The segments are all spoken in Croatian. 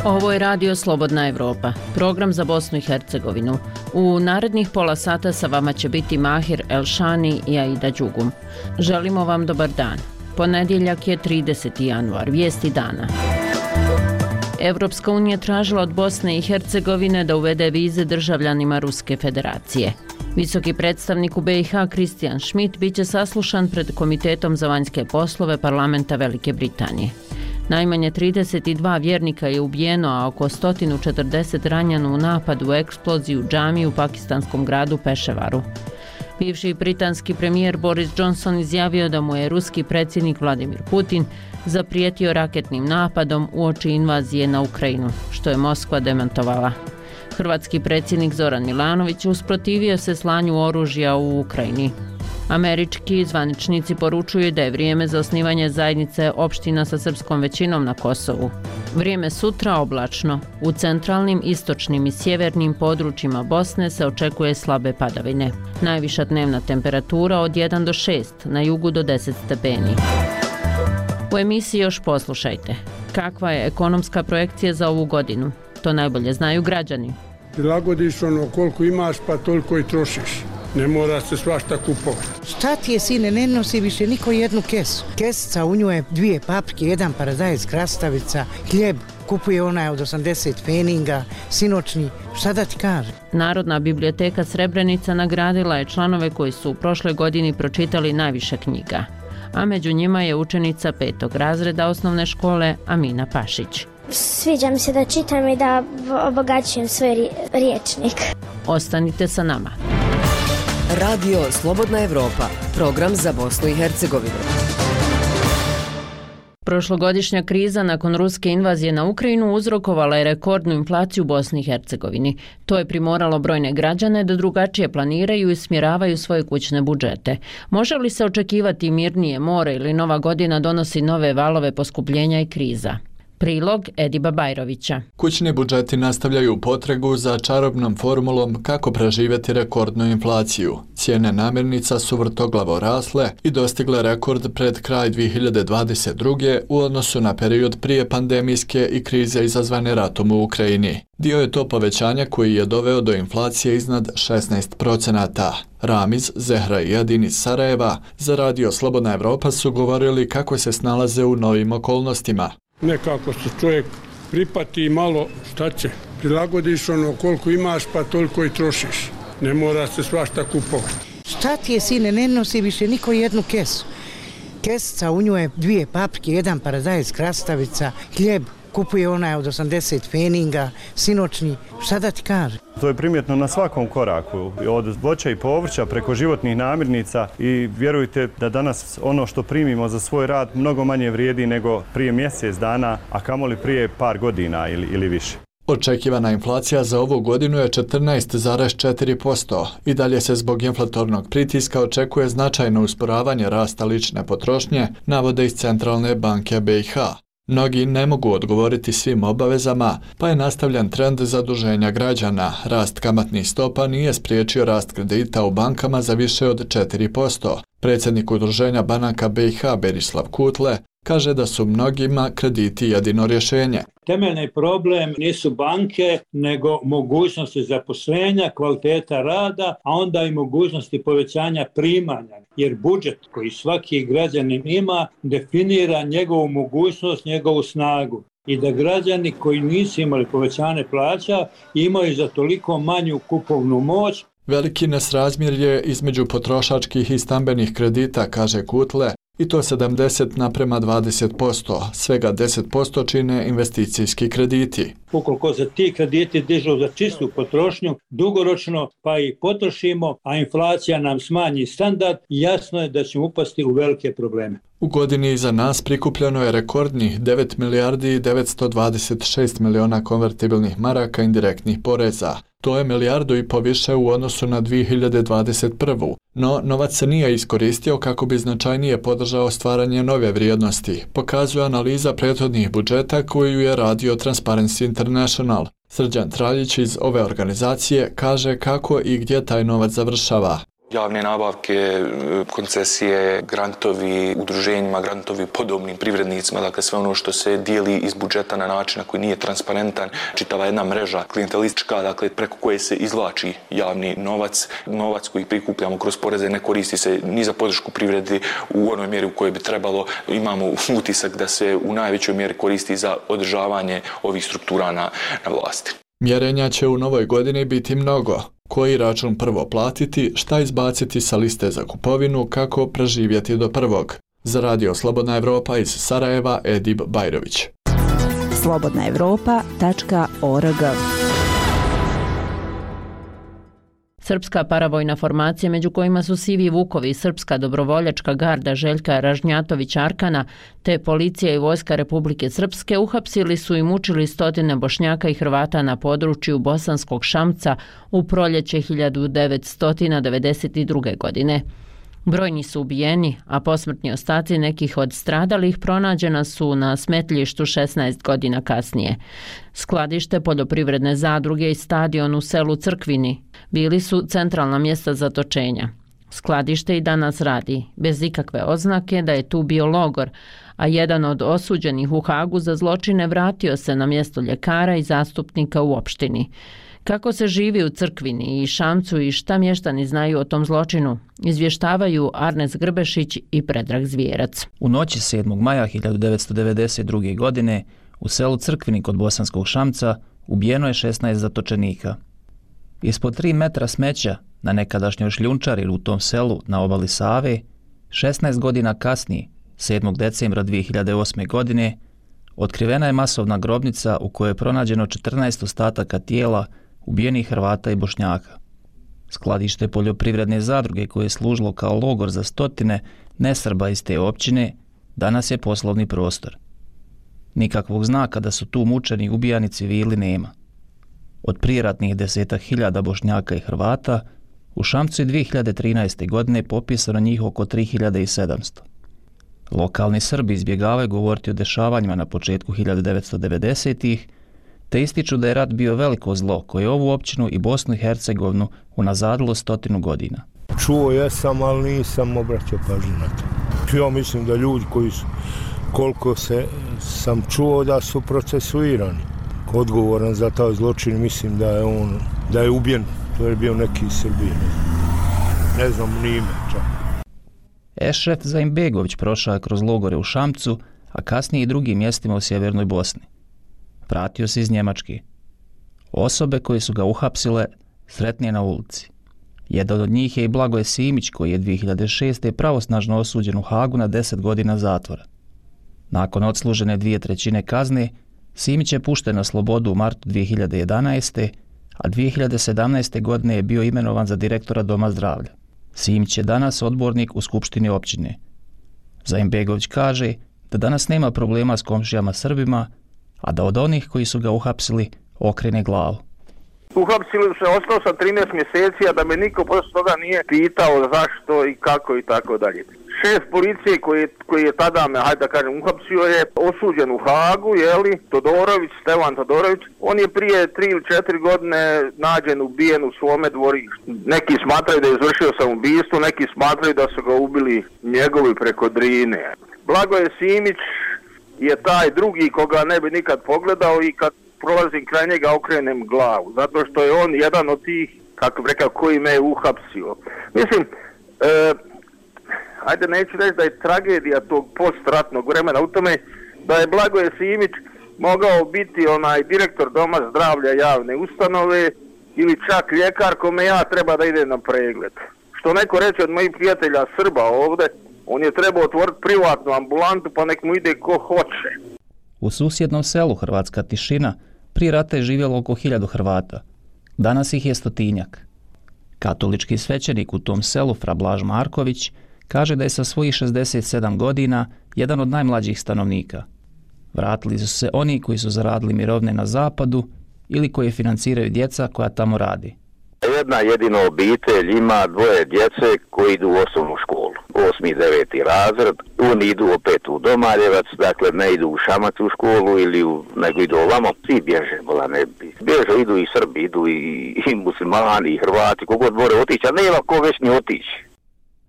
Ovo je Radio Slobodna Evropa, program za Bosnu i Hercegovinu. U narednih pola sata sa vama će biti Mahir Elšani i Aida Đugum. Želimo vam dobar dan. Ponedjeljak je 30. januar, vijesti dana. Evropska unija tražila od Bosne i Hercegovine da uvede vize državljanima Ruske federacije. Visoki predstavnik u BiH Kristijan Schmidt biće saslušan pred Komitetom za vanjske poslove Parlamenta Velike Britanije. Najmanje 32 vjernika je ubijeno, a oko 140 ranjeno u napadu u eksploziju džamije u pakistanskom gradu Peševaru. Bivši britanski premijer Boris Johnson izjavio da mu je ruski predsjednik Vladimir Putin zaprijetio raketnim napadom uoči invazije na Ukrajinu, što je Moskva demantovala. Hrvatski predsjednik Zoran Milanović usprotivio se slanju oružja u Ukrajini. Američki zvaničnici poručuju da je vrijeme za osnivanje zajednice opština sa srpskom većinom na Kosovu. Vrijeme sutra oblačno. U centralnim, istočnim i sjevernim područjima Bosne se očekuje slabe padavine. Najviša dnevna temperatura od 1 do 6, na jugu do 10 stepeni. U emisiji još poslušajte. Kakva je ekonomska projekcija za ovu godinu? To najbolje znaju građani. Prilagodiš ono koliko imaš pa toliko i trošiš. Ne mora se svašta kupovati. Šta ti je, sine, ne nosi više niko jednu kesu. Kesica, u njoj je 2 paprike, 1 paradajz, krastavica, hljeb, kupuje onaj od 80 feninga, sinoćni. Šta da ti kaže? Narodna biblioteka Srebrenica nagradila je članove koji su u prošloj godini pročitali najviše knjiga, a među njima je učenica 5. razreda osnovne škole Amina Pašić. Sviđa mi se da čitam i da obogaćujem svoj riječnik. Ostanite sa nama. Radio Slobodna Evropa, program za Bosnu i Hercegovinu. Prošlogodišnja kriza nakon ruske invazije na Ukrajinu uzrokovala je rekordnu inflaciju u Bosni i Hercegovini. To je primoralo brojne građane da drugačije planiraju i smjeravaju svoje kućne budžete. Može li se očekivati mirnije more ili nova godina donosi nove valove poskupljenja i kriza? Prilog Ediba Bajrovića. Kućni budžeti nastavljaju potragu za čarobnom formulom kako preživjeti rekordnu inflaciju. Cijene namirnica su vrtoglavo rasle i dostigle rekord pred kraj 2022. u odnosu na period prije pandemijske i krize izazvane ratom u Ukrajini. Dio je to povećanja koji je doveo do inflacije iznad 16%. Ramiz, Zehra i Adin iz Sarajeva za Radio Slobodna Evropa su govorili kako se snalaze u novim okolnostima. Nekako se čovjek pripati i malo, šta će, prilagodiš ono koliko imaš pa toliko i trošiš. Ne mora se svašta kupovati. Šta ti je, sine, ne nosi više niko jednu kesu. Kesica, u njoj je 2 paprike, 1 paradajz, krastavica, hljeb, kupuje onaj od 80 feninga, sinoćni. Šta da ti kaže? To je primjetno na svakom koraku, od voća i povrća preko životnih namirnica i vjerujte da danas ono što primimo za svoj rad mnogo manje vrijedi nego prije mjesec dana, a kamoli prije par godina ili više. Očekivana inflacija za ovu godinu je 14,4%. I dalje se zbog inflatornog pritiska očekuje značajno usporavanje rasta lične potrošnje, navode iz Centralne banke BiH. Mnogi ne mogu odgovoriti svim obavezama, pa je nastavljen trend zaduženja građana. Rast kamatnih stopa nije spriječio rast kredita u bankama za više od 4%. Predsjednik Udruženja banaka BiH Berislav Kutle kaže da su mnogima krediti jedino rješenje. Temeljni problem nisu banke, nego mogućnosti zaposlenja, kvaliteta rada, a onda i mogućnosti povećanja primanja. Jer budžet koji svaki građanin ima definira njegovu mogućnost, njegovu snagu. I da građani koji nisu imali povećanje plaća imaju za toliko manju kupovnu moć. Veliki nesrazmjer je između potrošačkih i stambenih kredita, kaže Kutle, i to 70:20%, svega 10% čine investicijski krediti. Ukoliko se ti krediti dižu za čistu potrošnju, dugoročno pa i potrošimo, a inflacija nam smanji standard, jasno je da ćemo upasti u velike probleme. U godini iza nas prikupljeno je rekordnih 9 milijardi i 926 miliona konvertibilnih maraka indirektnih poreza. To je 1,5 milijardu više u odnosu na 2021. No, novac se nije iskoristio kako bi značajnije podržao stvaranje nove vrijednosti, pokazuje analiza prethodnih budžeta koju je radio Transparency International. Srđan Traljić iz ove organizacije kaže kako i gdje taj novac završava. Javne nabavke, koncesije, grantovi, udruženjima, grantovi podobnim privrednicima, dakle sve ono što se dijeli iz budžeta na način na koji nije transparentan, čitava jedna mreža klijentelistička, dakle preko koje se izvlači javni novac koji prikupljamo kroz poreze ne koristi se ni za podršku privredi u onoj mjeri u kojoj bi trebalo. Imamo utisak da se u najvećoj mjeri koristi za održavanje ovih struktura na vlasti. Mjerenja će u novoj godini biti mnogo. Koji račun prvo platiti, šta izbaciti sa liste za kupovinu, kako preživjeti do prvog. Za Radio Slobodna Evropa iz Sarajeva, Edib Bajrović. slobodnaevropa.org. Srpska paravojna formacija, među kojima su Sivi Vukovi, Srpska dobrovoljačka garda Željka Ražnjatović-Arkana, te policija i vojska Republike Srpske uhapsili su i mučili stotine Bošnjaka i Hrvata na području Bosanskog Šamca u proljeće 1992. godine. Brojni su ubijeni, a posmrtni ostaci nekih od stradalih pronađena su na smetlištu 16 godina kasnije. Skladište poljoprivredne zadruge i stadion u selu Crkvini bili su centralna mjesta zatočenja. Skladište i danas radi, bez ikakve oznake da je tu bio logor, a jedan od osuđenih u Hagu za zločine vratio se na mjesto ljekara i zastupnika u opštini. Kako se živi u Crkvini i Šamcu i šta mještani znaju o tom zločinu, izvještavaju Arnes Grbešić i Predrag Zvijerac. U noći 7. maja 1992. godine u selu Crkvini kod Bosanskog Šamca ubijeno je 16 zatočenika. Ispod 3 metra smeća na nekadašnjoj šljunčari u tom selu na obali Save, 16 godina kasnije, 7. decembra 2008. godine, otkrivena je masovna grobnica u kojoj je pronađeno 14 ostataka tijela ubijenih Hrvata i Bošnjaka. Skladište poljoprivredne zadruge koje je služilo kao logor za stotine nesrba iz te općine danas je poslovni prostor. Nikakvog znaka da su tu mučeni i ubijani civili nema. Od prijeratnih 10.000 Bošnjaka i Hrvata u Šamcu je 2013. godine popisano njih oko 3700. Lokalni Srbi izbjegavaju govoriti o dešavanjima na početku 1990-ih, te ističu da je rat bio veliko zlo koje je ovu općinu i Bosnu i Hercegovinu unazadilo 100 godina. Čuo jesam, ali nisam obraćao pažnju na to. Ja mislim da ljudi koji su, koliko sam čuo da su procesuirani. Odgovoran za taj zločin, mislim da je ubijen, to je bio neki iz Srbije. Ne znam ni ime čak. Ešref Zaimbegović prošao je kroz logore u Šamcu, a kasnije i drugim mjestima u sjevernoj Bosni. Vratio se iz Njemačke. Osobe koje su ga uhapsile sretnije na ulici. Jedan od njih je i Blagoje Simić, koji je 2006. pravosnažno osuđen u Hagu na 10 godina zatvora. Nakon odslužene 2/3 kazne, Simić je pušten na slobodu u martu 2011. a 2017. godine je bio imenovan za direktora Doma zdravlja. Simić je danas odbornik u skupštini općine. Zaimbegović kaže da danas nema problema s komšijama Srbima, a da od onih koji su ga uhapsili okrene glavu. Uhapsili se, ostao sam 13 mjeseci, a da me niko poslije toga nije pitao zašto i kako i tako dalje. Šef policije koji je tada me, hajde da kažem, uhapsio je osuđen u Hagu, Todorović, Stevan Todorović. On je prije 3 ili 4 godine nađen ubijen u svome dvorištu. Neki smatraju da je izvršio samoubistvo, neki smatraju da su ga ubili njegovi preko Drine. Blagoje Simić je taj drugi koga ne bi nikad pogledao i kad prolazim kraj njega okrenem glavu, zato što je on jedan od tih, kako bi rekao, koji me je uhapsio. Mislim, ajde neću reći da je tragedija tog postratnog vremena u tome da je Blagoje Simić mogao biti direktor Doma zdravlja javne ustanove ili čak ljekar kome ja treba da ide na pregled. Što neko reče od mojih prijatelja Srba ovdje, on je trebao otvoriti privatnu ambulantu pa nek mu ide ko hoće. U susjednom selu Hrvatska Tišina prije rata je živjelo oko 1000 Hrvata. Danas ih je 100-tinjak. Katolički svećenik u tom selu, fra Blaž Marković, kaže da je sa svojih 67 godina jedan od najmlađih stanovnika. Vratili su se oni koji su zaradili mirovne na zapadu ili koje financiraju djeca koja tamo radi. Jedna jedina obitelj ima 2 djece koji idu u osnovnu školu. 8. i 9. razred, oni idu opet u Domaljevac, dakle ne idu u Šamac u školu nego idu ovamo, svi bježe, bježe, idu i Srbi, idu i muslimani, i Hrvati, kogod more otići, a nema ko već ni otići.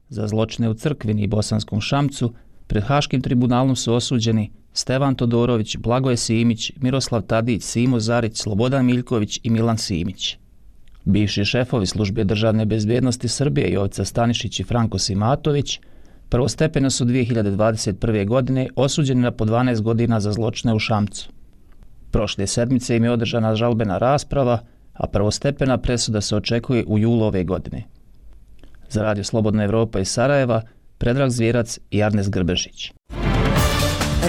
Za zločine u Crkvini i Bosanskom Šamcu pred Haškim tribunalom su osuđeni Stevan Todorović, Blagoje Simić, Miroslav Tadić, Simo Zarić, Slobodan Miljković i Milan Simić. Bivši šefovi Službe državne bezbjednosti Srbije Jovica Stanišić i Franko Simatović prvostepeno su 2021. godine osuđeni na po 12 godina za zločine u Šamcu. Prošle sedmice im je održana žalbena rasprava, a prvostepena presuda se očekuje u julu ove godine. Za Radio Slobodna Evropa iz Sarajeva, Predrag Zvjerac i Arnes Grbešić.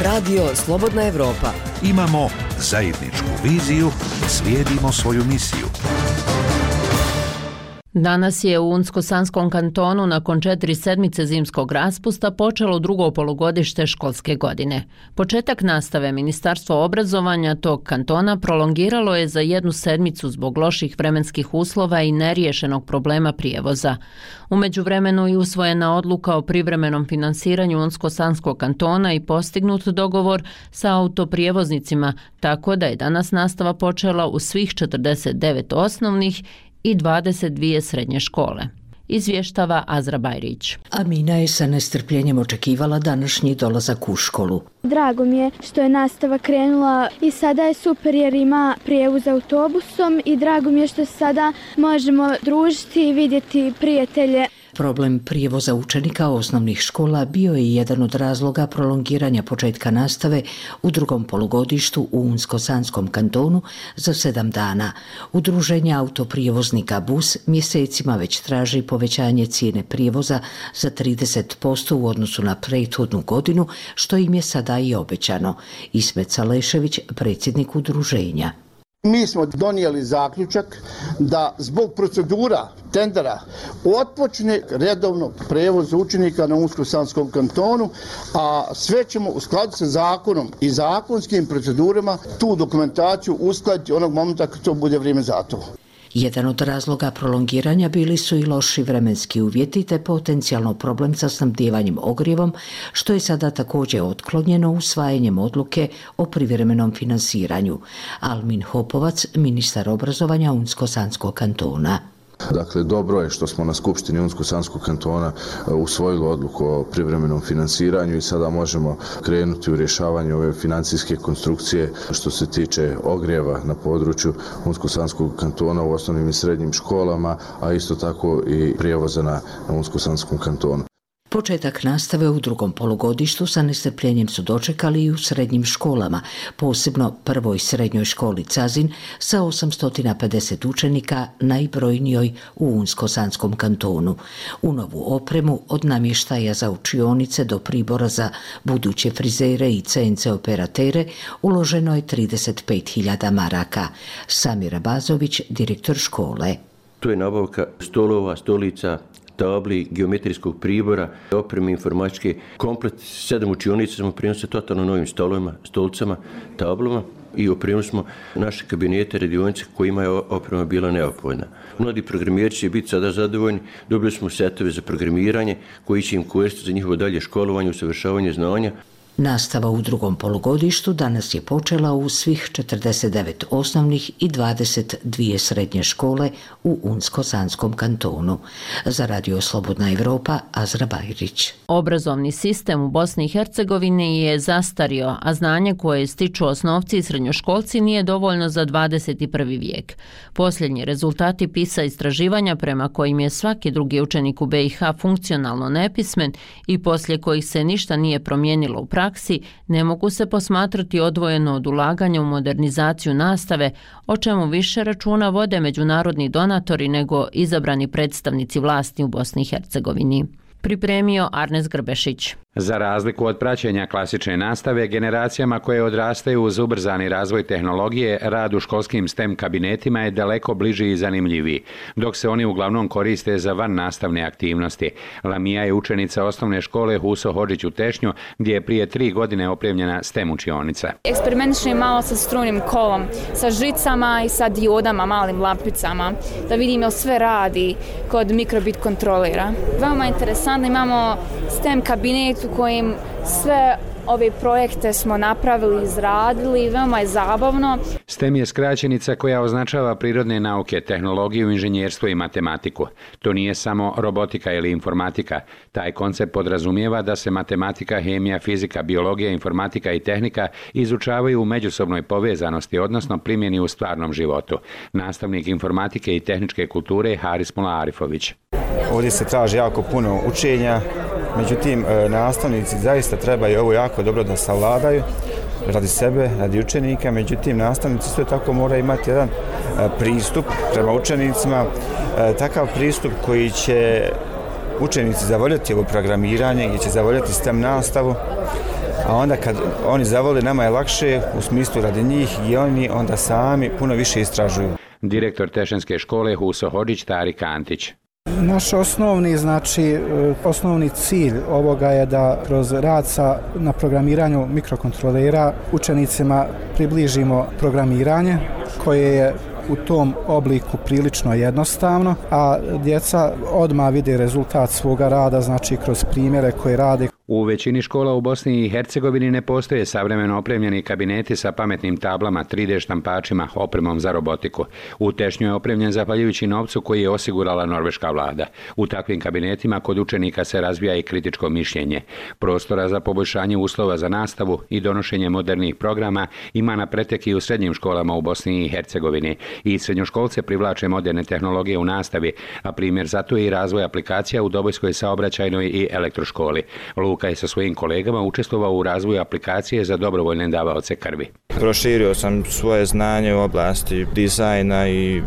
Radio Slobodna Evropa. Imamo zajedničku viziju, slijedimo svoju misiju. Danas je u Unsko-Sanskom kantonu nakon 4 sedmice zimskog raspusta počelo drugo polugodište školske godine. Početak nastave Ministarstvo obrazovanja tog kantona prolongiralo je za 1 sedmicu zbog loših vremenskih uslova i neriješenog problema prijevoza. U međuvremenu je usvojena odluka o privremenom finansiranju Unsko-Sanskog kantona i postignut dogovor sa autoprijevoznicima, tako da je danas nastava počela u svih 49 osnovnih i 22 srednje škole. Izvještava Azra Bajrić. Amina je sa nestrpljenjem očekivala današnji dolazak u školu. Drago mi je što je nastava krenula i sada je super jer ima prijevoz autobusom i drago mi je što sada možemo družiti i vidjeti prijatelje. Problem prijevoza učenika osnovnih škola bio je jedan od razloga prolongiranja početka nastave u drugom polugodištu u Unsko-Sanskom kantonu za 7 dana. Udruženje autoprijevoznika BUS mjesecima već traži povećanje cijene prijevoza za 30% u odnosu na prethodnu godinu, što im je sada i obećano. Ismet Salešević, predsjednik udruženja. Mi smo donijeli zaključak da zbog procedura tendera otpočne redovno prevoz učenika na Unsko-Sanskom kantonu, a sve ćemo u skladu sa zakonom i zakonskim procedurama tu dokumentaciju uskladiti onog momenta kad to bude vrijeme za to. Jedan od razloga prolongiranja bili su i loši vremenski uvjeti te potencijalno problem sa snabdijevanjem ogrijevom, što je sada također otklonjeno usvajanjem odluke o privremenom finansiranju. Almin Hopovac, ministar obrazovanja Unsko-Sanskog kantona. Dakle, dobro je što smo na Skupštini Unsko-Sanskog kantona usvojili odluku o privremenom finansiranju i sada možemo krenuti u rješavanje ove financijske konstrukcije što se tiče ogrijeva na području Unsko-Sanskog kantona u osnovnim i srednjim školama, a isto tako i prijevoza na Unsko-Sanskom kantonu. Početak nastave u drugom polugodištu sa nestrpljenjem su dočekali i u srednjim školama, posebno prvoj srednjoj školi Cazin sa 850 učenika, najbrojnijoj u Unsko-Sanskom kantonu. U novu opremu od namještaja za učionice do pribora za buduće frizere i CNC operatere uloženo je 35.000 maraka. Samira Bazović, direktor škole. To je nabavka stolova, stolica, tabli, geometrijskog pribora, opreme informatičke, komplet 7 učionica smo prenosili totalno novim stolovima, stolicama, tablama i opremili smo naše kabinete, radionice kojima je oprema bila neophodna. Mladi programeri će biti sada zadovoljni, dobili smo setove za programiranje koji će im koristiti za njihovo dalje školovanje, usavršavanje znanja. Nastava u drugom polugodištu danas je počela u svih 49 osnovnih i 22 srednje škole u Unsko-Sanskom kantonu. Za Radio Slobodna Evropa, Azra Bajrić. Obrazovni sistem u Bosni i Hercegovini je zastario, a znanje koje stiču osnovci i srednjoškolci nije dovoljno za 21. vijek. Posljednji rezultati PISA istraživanja prema kojim je svaki drugi učenik u BiH funkcionalno nepismen i poslije kojih se ništa nije promijenilo u praksi, ne mogu se posmatrati odvojeno od ulaganja u modernizaciju nastave, o čemu više računa vode međunarodni donatori nego izabrani predstavnici vlasti u Bosni i Hercegovini. Pripremio Arnes Grbešić. Za razliku od praćenja klasične nastave, generacijama koje odrastaju uz ubrzani razvoj tehnologije, rad u školskim STEM kabinetima je daleko bliži i zanimljiviji, dok se oni uglavnom koriste za van nastavne aktivnosti. Lamija je učenica osnovne škole Huso Hodžić u Tešnju, gdje je prije 3 godine opremljena STEM učionica. Eksperimentišem malo sa strujnim kolom, sa žicama i sa diodama, malim lampicama, da vidim jel sve radi kod mikrobit kontrolera. Veoma interesantno, imamo STEM kabinet u kojim sve ove projekte smo napravili, izradili, veoma je zabavno. STEM je skraćenica koja označava prirodne nauke, tehnologiju, inženjerstvo i matematiku. To nije samo robotika ili informatika. Taj koncept podrazumijeva da se matematika, hemija, fizika, biologija, informatika i tehnika izučavaju u međusobnoj povezanosti, odnosno primjeni u stvarnom životu. Nastavnik informatike i tehničke kulture Haris Mula Arifović. Ovdje se traži jako puno učenja, međutim nastavnici zaista trebaju ovo jako dobro da savladaju radi sebe, radi učenika, međutim nastavnici sve tako moraju imati jedan pristup prema učenicima, takav pristup koji će učenici zavoljeti ovo programiranje, gdje će zavoljeti STEM nastavu, a onda kad oni zavole nama je lakše u smislu radi njih i oni onda sami puno više istražuju. Direktor Tešenske škole Huso Hodžić Tarik Antić. Naš osnovni cilj ovoga je da kroz rad na programiranju mikrokontrolera učenicima približimo programiranje koje je u tom obliku prilično jednostavno, a djeca odmah vide rezultat svoga rada, znači kroz primjere koje rade. U većini škola u Bosni i Hercegovini ne postoje savremeno opremljeni kabineti sa pametnim tablama, 3D štampačima, opremom za robotiku. U Tešnju je opremljen zahvaljujući novcu koji je osigurala norveška vlada. U takvim kabinetima kod učenika se razvija i kritičko mišljenje. Prostora za poboljšanje uslova za nastavu i donošenje modernih programa ima na pretek i u srednjim školama u Bosni i Hercegovini. I srednjoškolce privlače moderne tehnologije u nastavi, a primjer zato je i razvoj aplikacija u Dobojskoj saobraćajnoj i elektroškoli. Luka je sa svojim kolegama učestvovao u razvoju aplikacije za dobrovoljne davaoce krvi. Proširio sam svoje znanje u oblasti dizajna i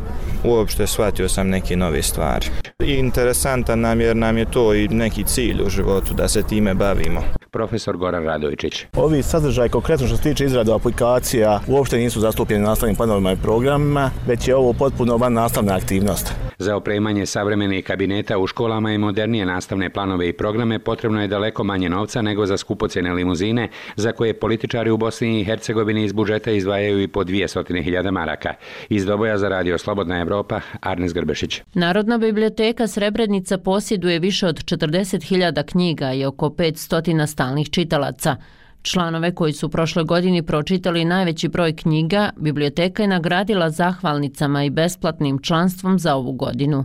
uopšte shvatio sam neke nove stvari. Interesantan nam jer nam je to i neki cilj u životu da se time bavimo. Profesor Goran Radovičić. Ovi sadržaj konkretno što se tiče izrade aplikacija uopšte nisu zastupljeni nastavnim planovima i programima, već je ovo potpuno van nastavna aktivnost. Za opremanje savremenih kabineta u školama i modernije nastavne planove i programe potrebno je daleko manje novca nego za skupocjene limuzine, za koje političari u Bosni i Hercegovini iz budžeta izdvajaju i po 200.000 maraka. Iz Doboja za Radio Slobodna Evropa, Arnes Grbešić. Narodna biblioteka Srebrenica posjeduje više od 40.000 knjiga i oko 500 stalnih čitalaca. Članove koji su prošle godini pročitali najveći broj knjiga, biblioteka je nagradila zahvalnicama i besplatnim članstvom za ovu godinu.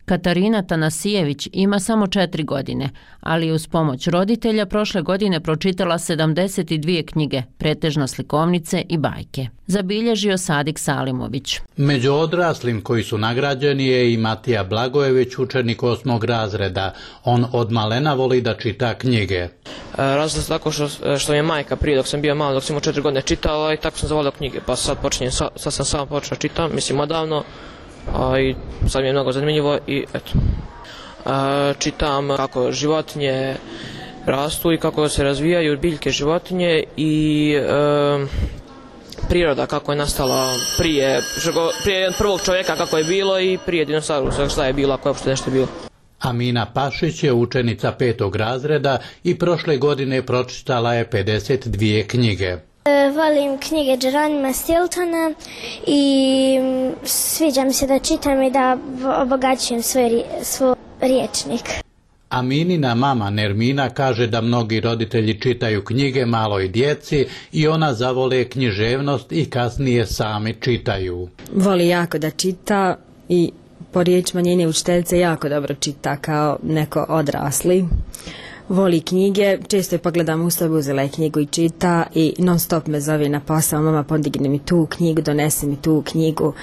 Katarina Tanasijević ima samo 4 godine, ali uz pomoć roditelja prošle godine pročitala 72 knjige, pretežno slikovnice i bajke. Zabilježio Sadik Salimović. Među odraslim koji su nagrađeni je i Matija Blagojević, učenik 8. razreda. On od malena voli da čita knjige. Razlog se tako što mi je majka prije dok sam bio malo, dok sam imao 4 godine čitala i tako sam zavolio knjige, pa sad sam sam počeo čitam, mislim odavno. I sad mi je mnogo zanimljivo i eto. Čitam kako životinje rastu i kako se razvijaju biljke životinje i priroda kako je nastala prije prvog čovjeka kako je bilo i prije dinosaurusa šta je bilo ako je uopšte nešto bilo. Amina Pašić je učenica 5. razreda i prošle godine pročitala je 52 knjige. Volim knjige Jeronima Stiltona i sviđa mi se da čitam i da obogaćujem svoj riječnik. Aminina mama Nermina kaže da mnogi roditelji čitaju knjige maloj djeci i ona zavole književnost i kasnije sami čitaju. Voli jako da čita i po riječima njene učiteljice jako dobro čita kao neko odrasli. Voli knjige, često je pogledam u sobi, uzela je knjigu i čita i non stop me zove na posao, mama podigne mi tu knjigu, donesi mi tu knjigu.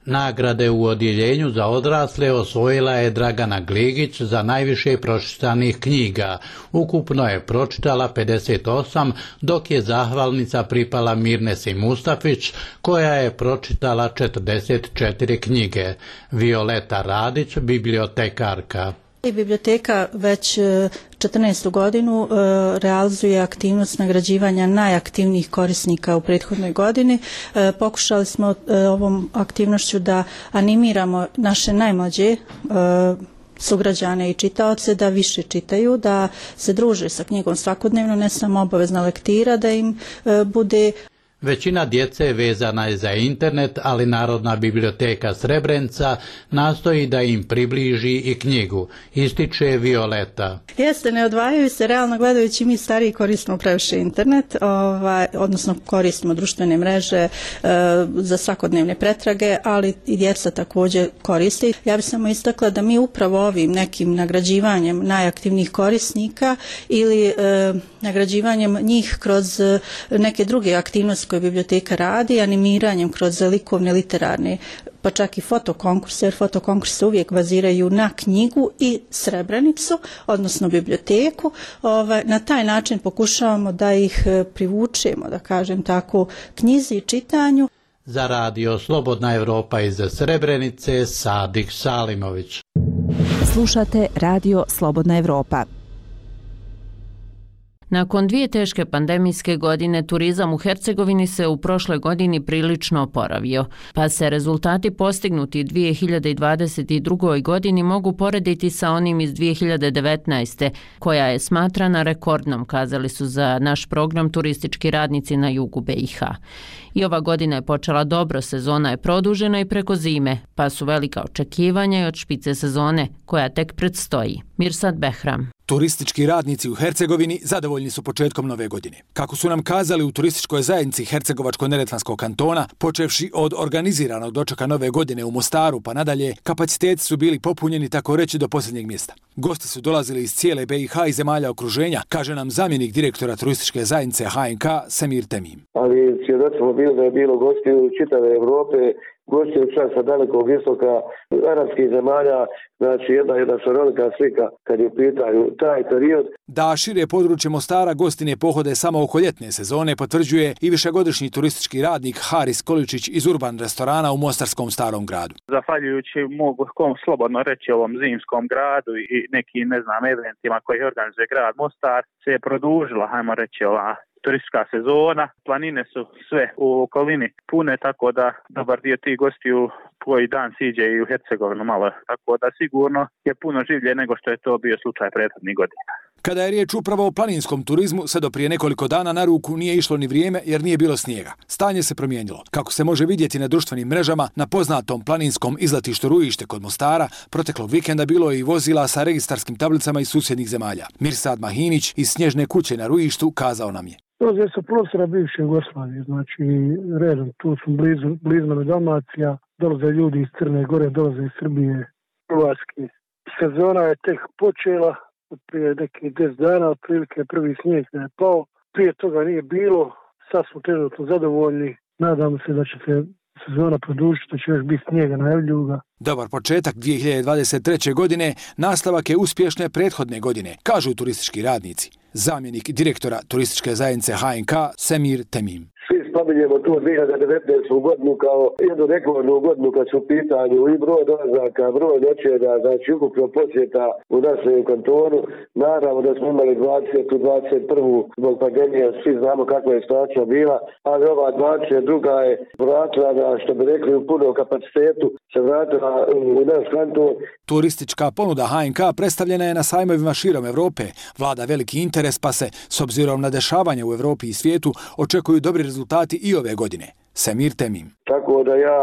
Nagrade u odjeljenju za odrasle osvojila je Dragana Gligić za najviše pročitanih knjiga. Ukupno je pročitala 58, dok je zahvalnica pripala Mirnesi Mustafić, koja je pročitala 44 knjige. Violeta Radić, bibliotekarka. Biblioteka već 14. godinu realizuje aktivnost nagrađivanja najaktivnijih korisnika u prethodnoj godini. Pokušali smo ovom aktivnošću da animiramo naše najmlađe sugrađane i čitaoce da više čitaju, da se druže sa knjigom svakodnevno, ne samo obavezna lektira, da im bude. Većina djece vezana je za internet, ali Narodna biblioteka Srebrenica nastoji da im približi i knjigu, ističe Violeta. Jeste, ne odvajaju se, realno gledajući mi stariji koristimo previše internet, odnosno koristimo društvene mreže za svakodnevne pretrage, ali i djeca također koriste. Ja bih samo istakla da mi upravo ovim nekim nagrađivanjem najaktivnijih korisnika ili nagrađivanjem njih kroz neke druge aktivnosti koje biblioteka radi, animiranjem kroz likovne, literarne, pa čak i fotokonkurse, jer fotokonkurse uvijek baziraju na knjigu i Srebrenicu, odnosno biblioteku. Na taj način pokušavamo da ih privučemo, da kažem tako, knjizi i čitanju. Za radio Slobodna Evropa iz Srebrenice, Sadik Salimović. Slušate radio Slobodna Evropa. Nakon 2 teške pandemijske godine, turizam u Hercegovini se u prošloj godini prilično oporavio, pa se rezultati postignuti 2022. godini mogu porediti sa onim iz 2019. koja je smatrana rekordnom, kazali su za naš program turistički radnici na jugu BiH. I ova godina je počela dobro, sezona je produžena i preko zime, pa su velika očekivanja i od špice sezone koja tek predstoji. Mirsad Behram. Turistički radnici u Hercegovini zadovoljni su početkom nove godine. Kako su nam kazali u turističkoj zajednici Hercegovačko-neretvanskog kantona, počevši od organiziranog dočeka nove godine u Mostaru pa nadalje, kapaciteti su bili popunjeni tako reći do posljednjeg mjesta. Gosti su dolazili iz cijele BiH i zemalja okruženja, kaže nam zamjenik direktora turističke zajednice HNK Semir Temim. Ali svjedoci bilo da je bilo gostiju čitave Evrope, gostiju čak sa dalekog istoka, arapskih zemalja, znači jedna šarolika slika kad je u pitanju taj period. Da šire područje Mostara gostine pohode samo oko ljetne sezone potvrđuje i višegodišnji turistički radnik Haris Količić iz Urban restorana u mostarskom Starom gradu. Zahvaljujući mogu slobodno reći ovom zimskom gradu i nekim eventima koji organizuje grad Mostar se je produžila, hajmo reći, ova turistička sezona. Planine su sve u okolini pune, tako da dobar dio tih gostiju koji dan siđe i u Hercegovinu malo. Tako da sigurno je puno življe nego što je to bio slučaj prethodnih godina. Kada je riječ upravo o planinskom turizmu, sve do prije nekoliko dana na ruku nije išlo ni vrijeme jer nije bilo snijega. Stanje se promijenilo. Kako se može vidjeti na društvenim mrežama, na poznatom planinskom izletištu Rujište kod Mostara, proteklog vikenda bilo je i vozila sa registarskim tablicama iz susjednih zemalja. Mirsad Mahinić iz Snježne kuće na Rujištu kazao nam je. Dolaze sa prostora bivše Jugoslavije, znači redom, tu su blizu nam Dalmacija, dolaze ljudi iz Crne Gore, dolaze iz Srbije, Hrvatske. Sezona je tek počela, prije nekih 10 dana, otprilike prvi snijeg je pao, prije toga nije bilo, sad smo trenutno zadovoljni, nadamo se da će se sezona produžiti, da će još biti snijega, najavljuju ga. Dobar početak 2023. godine, nastavak je uspješne prethodne godine, kažu turistički radnici. Zamjenik direktora turističke zajednice HNK Semir Temim. Svi spominjemo tu 2019. godinu kao jednu rekordnu godinu kad su u pitanju i broj dolazaka, broj noćenja, znači ukupno posjeta u našem kantonu. Naravno da smo imali 20. 21. zbog pandemije, svi znamo kakva je situacija bila, ali ova 22. je vratila na, što bi rekli, u punom kapacitetu, se vratila u naš kanton. Turistička ponuda HNK predstavljena je na sajmovima širom Evrope. Vlada veliki interes, pa se, s obzirom na dešavanje u Evropi i svijetu, očekuju dobri rezultati i ove godine. Semir Temim. Tako da ja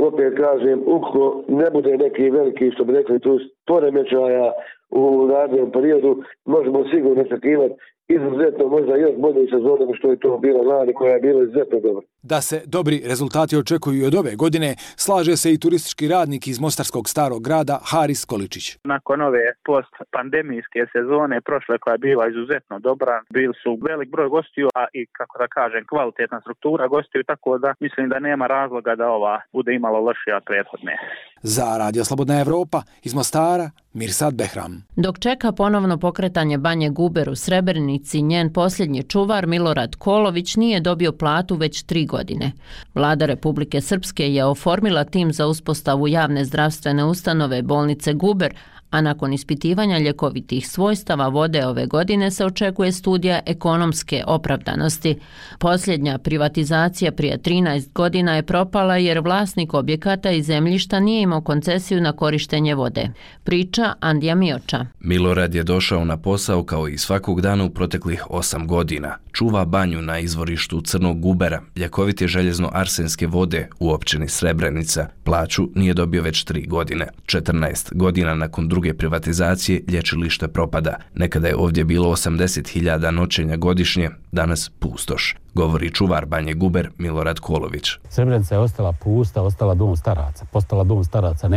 opet kažem, ukoliko ne bude neki veliki, što bi rekli, tu poremećaja u narednom periodu, možemo sigurno očekivati izuzetno možda još bolje sezone što je to bilo lani, koja je bila izuzetno dobra. Da se dobri rezultati očekuju i od ove godine, slaže se i turistički radnik iz Mostarskog Starog grada Haris Količić. Nakon ove post-pandemijske sezone, prošle koja je bila izuzetno dobra, bili su velik broj gostiju, a i, kako da kažem, kvalitetna struktura gostiju, tako da mislim da nema razloga da ova bude imala lošija od prethodne. Za Radio Slobodna Evropa iz Mostara, Mirsad Behram. Dok čeka ponovno pokretanje banje Guber u Srebrenici, njen posljednji čuvar Milorad Kolović nije dobio platu već 3 godine. Vlada Republike Srpske je oformila tim za uspostavu javne zdravstvene ustanove bolnice Guber, a nakon ispitivanja ljekovitih svojstava vode ove godine se očekuje studija ekonomske opravdanosti. Posljednja privatizacija prije 13 godina je propala jer vlasnik objekata i zemljišta nije imao koncesiju na korištenje vode. Priča Andija Mioča. Milorad je došao na posao kao i svakog dana u proteklih 8 godina. Čuva banju na izvorištu Crnog Gubera, ljekovite željezno-arsenske vode u općini Srebrenica. Plaću nije dobio već 3 godine. 14 godina nakon druge privatizacije lječilište propada. Nekada je ovdje bilo 80.000 noćenja godišnje, danas pustoš, govori čuvar banje Guber Milorad Kolović. Srebrenica je ostala pusta, ostala dom staraca. Postala dom staraca,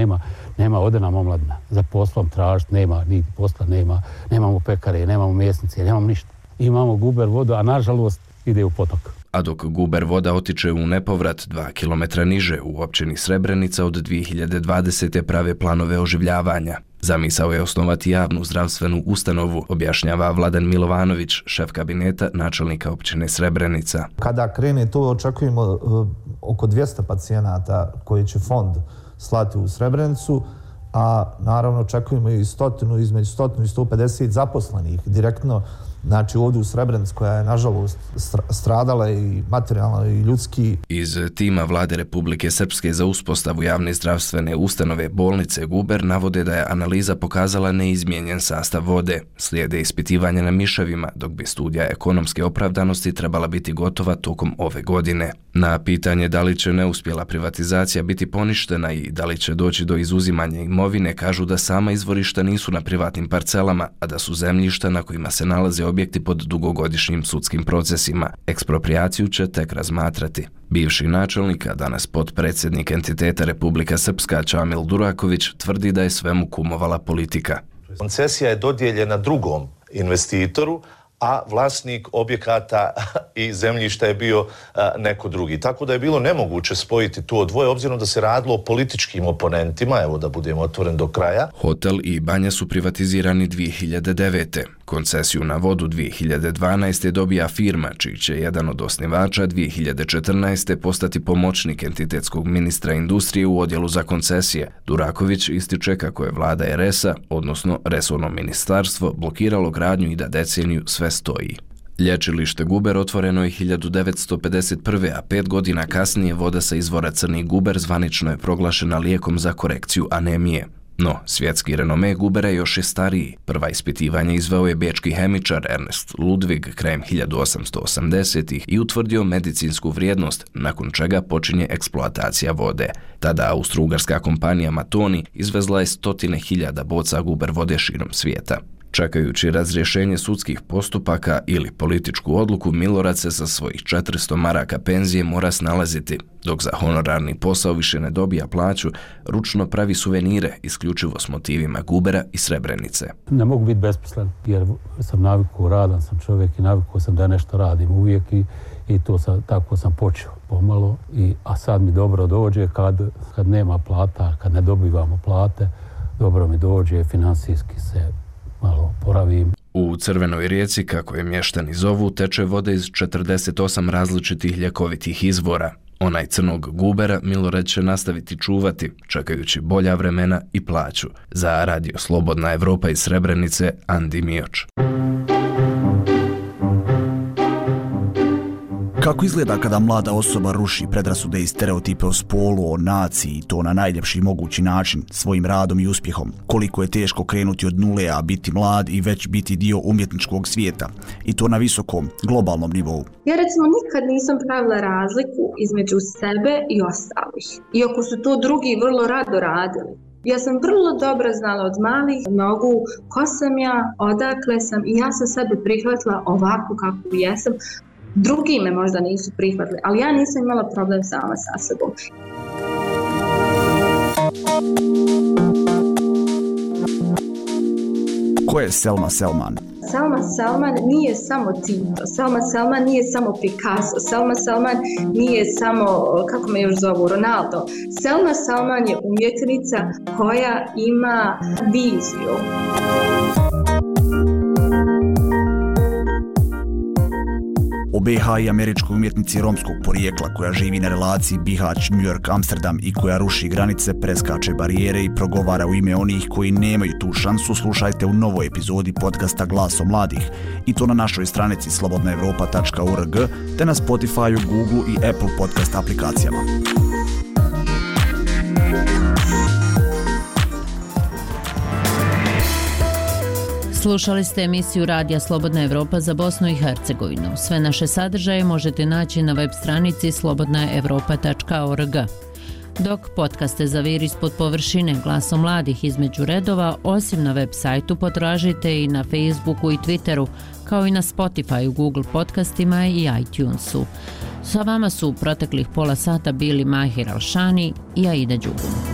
nema odena omladina. Za poslom tražiti nema, niti posla nema, nemamo pekare, nemamo mesnice, nemamo ništa. Imamo Guber vodu, a nažalost ide u potok. A dok Guber voda otiče u nepovrat 2 km niže u općini Srebrenica, od 2020. prave planove oživljavanja. Zamisao je osnovati javnu zdravstvenu ustanovu, objašnjava Vladan Milovanović, šef kabineta načelnika općine Srebrenica. Kada krene to, očekujemo oko 200 pacijenata koji će fond slati u Srebrenicu, a naravno očekujemo i između 100 i 150 zaposlenih direktno. Znači ovdje u Srebrenici, koja je nažalost stradala i materijalno i ljudski. Iz tima Vlade Republike Srpske za uspostavu javne zdravstvene ustanove bolnice Guber navode da je analiza pokazala neizmijenjen sastav vode. Slijede ispitivanja na miševima, dok bi studija ekonomske opravdanosti trebala biti gotova tokom ove godine. Na pitanje da li će neuspjela privatizacija biti poništena i da li će doći do izuzimanja imovine, kažu da sama izvorišta nisu na privatnim parcelama, a da su zemljišta na kojima se nalaze objekti pod dugogodišnjim sudskim procesima. Eksproprijaciju će tek razmatrati. Bivši načelnik, a danas potpredsjednik entiteta Republika Srpska Čamil Duraković, tvrdi da je svemu kumovala politika. Koncesija je dodijeljena drugom investitoru, a vlasnik objekata i zemljišta je bio neko drugi. Tako da je bilo nemoguće spojiti to dvoje, obzirom da se radilo o političkim oponentima, evo da budemo otvoren do kraja. Hotel i banja su privatizirani 2009. Koncesiju na vodu 2012. dobija firma, čiji će jedan od osnivača 2014. postati pomoćnik entitetskog ministra industrije u odjelu za koncesije. Duraković ističe kako je vlada RS-a, odnosno resorno ministarstvo, blokiralo gradnju i da deceniju sve stoji. Lječilište Guber otvoreno je 1951. a 5 godina kasnije voda sa izvora Crni Guber zvanično je proglašena lijekom za korekciju anemije. No, svjetski renome Gubera još je stariji. Prva ispitivanja izveo je bečki hemičar Ernest Ludwig krajem 1880-ih i utvrdio medicinsku vrijednost, nakon čega počinje eksploatacija vode. Tada austro-ugarska kompanija Matoni izvezla je 100.000 boca Guber vode širom svijeta. Čekajući razrješenje sudskih postupaka ili političku odluku, Milorad se za svojih 400 maraka penzije mora snalaziti. Dok za honorarni posao više ne dobija plaću, ručno pravi suvenire isključivo s motivima Gubera i Srebrenice. Ne mogu biti besposlen jer sam navikao, radan sam čovjek i navikao sam da nešto radim uvijek i to tako sam počeo pomalo. A sad mi dobro dođe kad nema plata, kad ne dobivamo plate, dobro mi dođe, financijski se malo poravim. U Crvenoj rijeci, kako je mještani zovu, teče voda iz 48 različitih ljekovitih izvora. Onaj Crnog Gubera Milorad će nastaviti čuvati, čekajući bolja vremena i plaću. Za Radio Slobodna Evropa iz Srebrenice, Andi Mioč. Kako izgleda kada mlada osoba ruši predrasude i stereotipe o spolu, o naciji i to na najljepši mogući način, svojim radom i uspjehom? Koliko je teško krenuti od nule, a biti mlad i već biti dio umjetničkog svijeta? I to na visokom, globalnom nivou. Ja recimo nikad nisam pravila razliku između sebe i ostalih. Iako su to drugi vrlo rado radili. Ja sam vrlo dobro znala od malih nogu ko sam ja, odakle sam i ja sam sebe prihvatila ovako kako jesam. Drugi me možda nisu prihvatili, ali ja nisam imala problem sama sa sobom. Ko je Selma Selman? Selma Selman nije samo Tito, Selma Selman nije samo Picasso, Selma Selman nije samo, kako me još zovu, Ronaldo. Selma Selman je umjetnica koja ima viziju. BiH i američkoj umjetnici romskog porijekla koja živi na relaciji Bihać, New York, Amsterdam i koja ruši granice, preskače barijere i progovara u ime onih koji nemaju tu šansu, slušajte u novoj epizodi podcasta Glaso mladih i to na našoj stranici slobodnaevropa.org te na Spotifyu, Google i Apple podcast aplikacijama. Slušali ste emisiju Radija Slobodna Evropa za Bosnu i Hercegovinu. Sve naše sadržaje možete naći na web stranici slobodnaevropa.org. Dok podcaste Zavir ispod površine, Glaso mladih između redova, osim na web sajtu potražite i na Facebooku i Twitteru, kao i na Spotifyu, Google podcastima i iTunesu. Sa vama su u proteklih pola sata bili Mahir Elšani i Aida Đugum.